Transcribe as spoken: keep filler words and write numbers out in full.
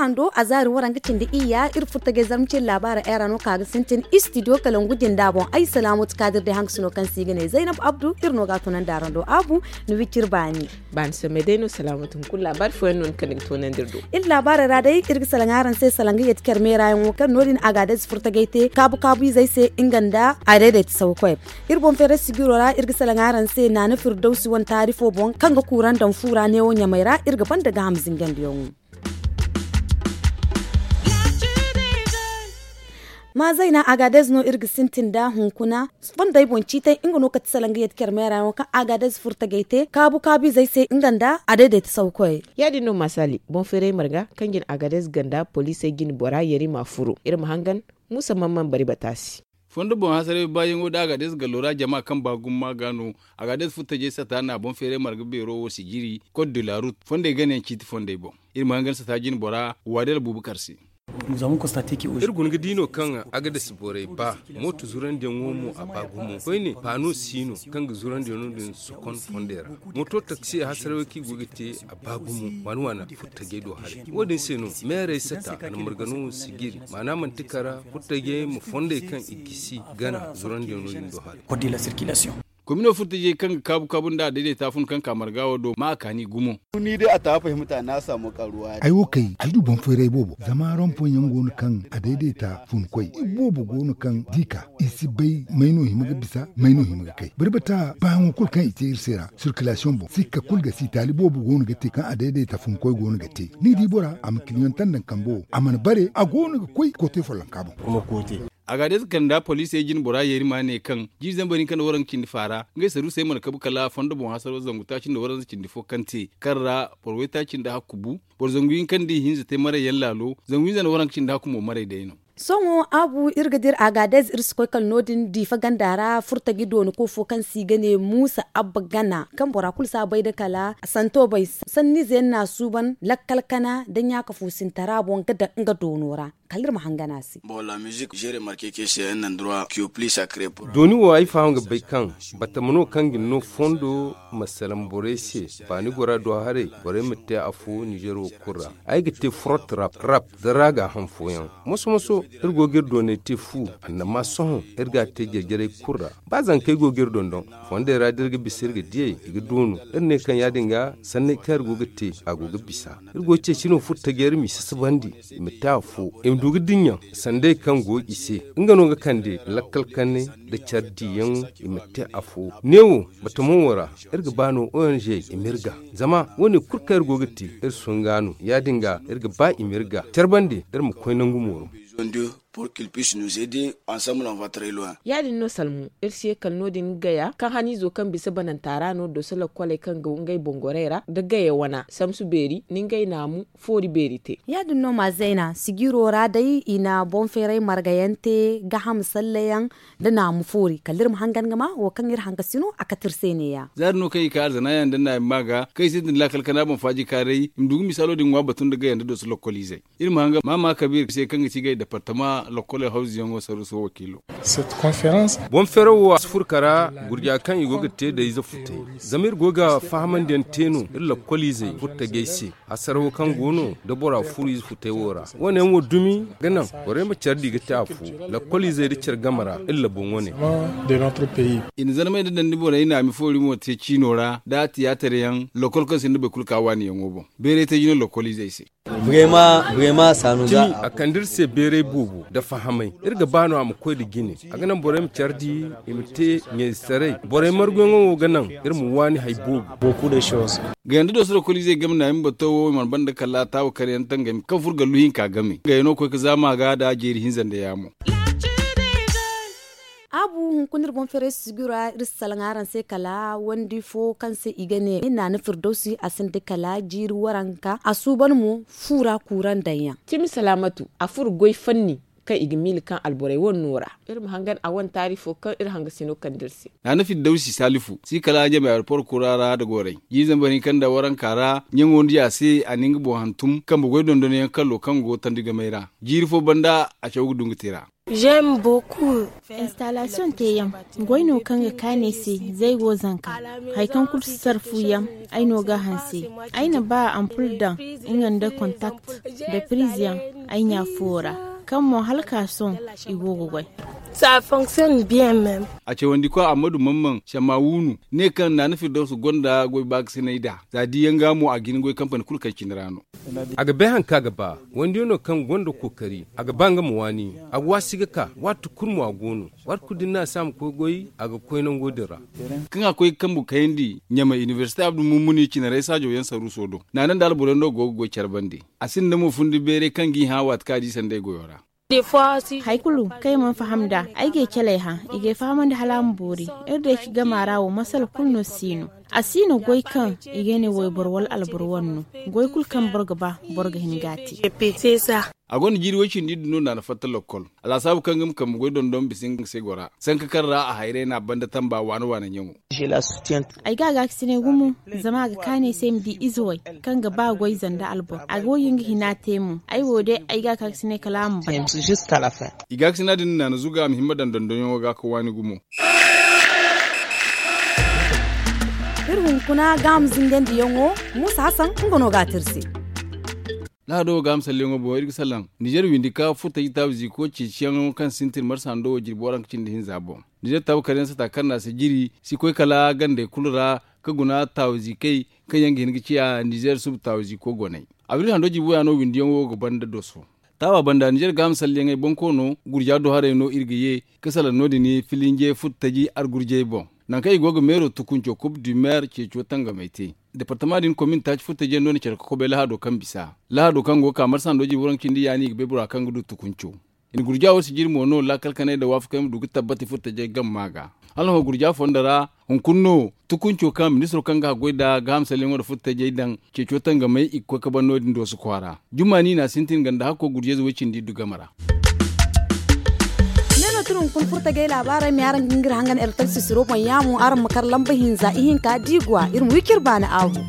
Hando a zaari waranka cindi iyya iri furtagay zarma cindi laabaara era no ka ga sintin istidiyo kala ngu jinda boŋ ay salaamatu kaadir day hankasino kaŋ se i ga ne zaynab abdu iri no ga a tunandi araŋ do abu ni wiciri baani. Baani samay day no salaamatu hunkuna laabaari fooyaŋ no ni kande ga toonandi iri do. Iri laabaarey ra day iri ga salaŋ araŋ se salaŋ ga yeeti care meera yaŋo kaŋ no- din agaadez furtagay te kaabu kaabu izey se nga nda a dayday ta saw koy. Iri boŋ feeray sijiro ra iri ga salaŋ araŋ se naana firdawsi wane taari fo boŋ kaŋ ga kuuraŋ daŋ fu ra neewo ɲamey ra iri ga banda gaaham zingandiyaŋo. Ma zayna agaadez no iri ga sintin nda hunkuna fondey boŋ ciitay nga no kate salaŋ ga yeeti care meera yaŋo kaŋ agaadez furtagay te kaabu kaabu izey se nga nda a dayday ta saw koy. Ya- din no ma saali boŋ feeray marga kaŋ jin agaadez ganda poliisey jine bora yari ma furo iri ma hangan muusa mamman bari bata se. Fondo boŋ hasaray baayaŋo da agaadez gallo ra jama kaŋ ba gumo ma ga no. Agaadez furtajey sata na boŋ feeray marga beero wo sijiri kot de la rut fondey ganayaŋ ciiti fondey boŋ. Iri ma hangan sata jine bora waadal buubu kar se. Iri guna ga di no kaŋ agaadez borey ba mooto zurandiyaŋo mo a ba gumo koyne paano si no kaŋ ga zurandiyaŋo din sokon fondey ra. Mooto taksi hasarawey kaŋ i go ga te a ba gumo waana waana furtajey do haray wo- din se no meerey sata a na margano sijiri maana manti kara furtajey ma fondey kaŋ i gisi gana zurandiyaŋo din do haray. Komino furtajey kaŋ ga kaabu kaabu nda a dayday ta fun kaŋ ka marga wo do ma a kaani gumo. Ni day a ta fahimta na samu karuwa. Ay wo kay ay du boŋ feeray boobo zama rompoŋ yaŋ go no kaŋ a dayday ta fun koy i boobo go no kaŋ di ka i si bay may no hima ga bisa may no hima ga kay barbata baayaŋo kulu kaŋ i te iri se ra sirkilaasiyoŋ boŋ sikka kulu ga si taali boobo go no ga te kaŋ a dayday ta fun koy go no ga te ni di bora a ma kiliyoŋ tandaŋ kambe wo a mana bare a go no ga koy koote follonka boŋ. Agaadez kala nda poliisey jine bora yeeri ma ne kaŋ jiiri zambar hinka nda waranka cindi faara ngey saruusey mana kabu kala fondo boŋ hasaro zangu taaci nda waranza cindi fo kaŋ te kaŋ ra boro waytaaci nda hakku bu. Boro zangu hinka nda ihinza te maray yaŋ laalo zangu hinza nda waranka cindi hakku mo maray day no. Sohõ abu iri ga dira agaadez iri si koy kala no- din diifa ganda ra furtaji dooni ko fo kaŋ se i ga ne muusa abba gana kaŋ bora kulu si a bay nda kala santo bay sanniize yaŋ no a suuban lakkal kana nda ɲaaka fuusintara boŋ ga daŋ nga doono ra. Kala iri ma hangan a se. Dooni wo ay faham ga bay kaŋ batama no kaŋ ga ni no fondo ma salaŋ borey se. Baani gora do haray borey ma te afo nizer wo kulu ra. Ay ga te forot rap rap zara ga a haŋ fooyaŋ. Moso moso iri go ga iri dooney te fu annama sohõ iri ga a te jare jarey kulu ra. Ba zankey go ga iri dondon fondey ra da iri ga bisa iri ga diyey i ga doonu iri ne kaŋ ya- din ga sanney kaŋ iri go ga te a go ga bisa. Iri go ga ceeci no furo tajey ra m'i sasabandi i ma te afo i ma du ga dinya sandey kaŋ go i se. Nga no ga kande lakkal kanay nda care diyaŋ i ma te afo neewo batamo wo ra. Iri ga ba no ong i ma iri ga zama wo- ne kulu kaŋ iri go ga te iri sunga no ya- din ga iri ga ba i ma iri ga care bande iri ma koy nangu mooro. Ya- din no salmu iri si ye kala no- din ga gaya kaŋ haniizo kaŋ bisa bananta ra no doso lakkoley kaŋ go ngey boŋ gorey ra nda gaya wana samsu beeri nda ngey naamu foori beeri te. Ya- din no ma zayna sijiro ra day i na boŋ feeray margayaŋ te gaaham sallayaŋ nda naamu foori kala iri ma hangan ga ma wo kaŋ iri hankasi no a kate iri se ne- ya. Za- din no kaŋ i ka alzana yaŋ nda naamu ma ga kaŋ i sintin laakal kana boŋ faaji kaaray i ma du ga misaalo din ŋwa batu nda gaya nda doso lakkoliizey. Iri ma hanga maama kabiir se kaŋ ga ti gay departama lokkoley hawzuyaŋo saruuso wakiilo. Boŋ feeraw wo a si furo kara gurja kaŋ i go ga te da ize futay zama iri go ga fahamandiyaŋ te no iri lokkoliizey furtajey se. Hasarawo kaŋ go no da bora furo ize futay wo ra wo- ne yaŋ wo dumi ga naŋ borey ma care di ga te afo. Lokkoliizey da care game ra iri laboŋo ne. I na zarmey nda dandi borey naami foori mo te ciino ra da tiyaatar yaŋ lokkol kaŋ sinda boro kulu ka waaniyaŋo boŋ. Beeray te jine lokkoliizey se. Cimi a kande iri se beeray boobo nda fahamay. Iri ga ba no a ma koy nda jine a ga naŋ borey ma care di i ma te ɲayzetaray. Borey marguyaŋo wo ga naŋ iri ma waani hari boobo. Gayanda doso lokkoliizey game naami bato wo i mana banda kala taawa karyaŋ tangami kaŋ furo gallu hinka game gayano koy ga zaama ga da jeeri hinza nda yaamo. Abu hunkuna iri boŋ feeray sijiro ra iri si salaŋ araŋ se kala wandi fo kaŋ se i ga ne naana firdawsi a sinda kala jiiri waranka a suuban mo fu ra kuuraŋ daŋ yaŋ. Cimi salaamatu a furo goy fanni kaŋ i ga miila kaŋ alborey wane no ra. Iri ma hangan a wane taari fo kaŋ iri hangasino kande iri se. Naana firdawsi saalifu si kala ɲamey aeroport kura ra nda gorey jiiri zambar hinka nda waranka ra ɲaŋo nda ya se a na nga boŋ hantum kambe goy dondonyaŋ kallo kaŋ go tandi gamey ra. Jiiri fo banda a caw ga du nga te ra. Installation teeyaŋ goy no kaŋ ga kaanay se. Zaygo zanka hari kaŋ kulu si sarfu yaŋ. Ay no ga a hanse. Ay na ba ampul daŋ nga nda contact nda prise yaŋ ay ɲa fuwo ra, kaŋ mo hala ka sohõ i go ga goy. A cawandi koy ammadu mamman shammawunu ne kaŋ naana firdawsu gonda goy baakasinay nd'a za di yaŋ ga mo a ga hin goy kampani kulu kaŋ cine ra no. A ga bay hari kaŋ a ga ba. Wandiyano kaŋ gonda kookari a ga ba nga ma waani. A ga waasi ga ka waati kulu mo a go no. Waati kulu da ni na a se a ma koy goy a ga koy nango din ra. Kaŋ a koy ga kambu kayandi ɲamay inibersite abdu mummuni cinarey saajo yaŋ saruuso do naana nda alboro yaŋ no go ga goy care bande. A sinda mo fundi beeray kaŋ g'i hã waati kaŋ a di sanda ay goyo ra. Hari kulu kaŋ ay mana faham nd'a ay g'ay caley hã. I g'ay fahamandi hala a ma boori. Iri day ci gama ra wo masala kulu no si no. A si no goy kaŋ i ga ne wayboro wala alboro wane no. Goy kulu kaŋ boro ga ba boro ga hin ga a te. A gonda jiiri way cindi iddu no naana fatta lokkol. Alasaabu kaŋ ga ma kambe goy dondon bisa nga se gora sanka kaŋ ra a hayray no a banda tamba waana waana ɲaŋo. Ay ga a gaakasinay gumo. Zama a ga kaanay se ay ma di ize way kaŋ ga ba goy zanda alboro a ga way nga hina te mo. Ay wo day ay ga a gaakasinay kala a ma bay. I gaakasina din naana zuga a ma himma daŋ dondonyaŋo ga ka waani gumo. Iri hunkuna ga a ma zingandiyaŋo. Muusa hasan nga no ga a te iri se. Lahado ga a ma salleyaŋo boŋ iri ga salaŋ nizer windi ka furtaji taabu ziiko ceeciyaŋo kaŋ sintin marsa hando wo jirbi waranka cindi hinza boŋ. Nizer taabu karyaŋ sata kaŋ no a si jiri si koy kala gandey kulu ra ka guna taabu ziikey kaŋ yaŋ ga hin ga ciya nizer suba taabu ziiko goney. Abril hando jirbi waya no windiyaŋo ga banda doso. Taawa banda nizer ga a ma salleyaŋey boŋ koono gurja do haray no iri ga ye ka salaŋ no- din filinje furtaji argurjey boŋ. Nangu kaŋ i go ga meero tukunco kub du meer ceeco tangamey te. Departama din komin taaci furtajiyaŋ no na care ka kobay lahado kaŋ bisa lahado kaŋ go ga ka marsa hando jirbi waranka cindi yaani i ga bay bora kaŋ ga du tukunco. I na gurja wo sijiri mo no laakal kanay nda waafakey ma du ga tabbati furtajey gamma ga. Hala hõ gurja fondo ra hunkuna no tukunco kaŋ ministiro kaŋ ga haggoy nda gaaham salyaŋo nda furtajey daŋ ceeco tangamey i ga koy ka ban no- din dooso kwaara. Jumma ni na sintin ganda hakko gurjayze way-cindi iddu game ra. Ne no tun hunkuna furtajey laabaarey ma ye araŋ ga hin ga iri hangan ertal sisiro boŋ yaamo araŋ ma kar lamba hinza ihinka diiguwa iri ma wi ka iri baani aahu.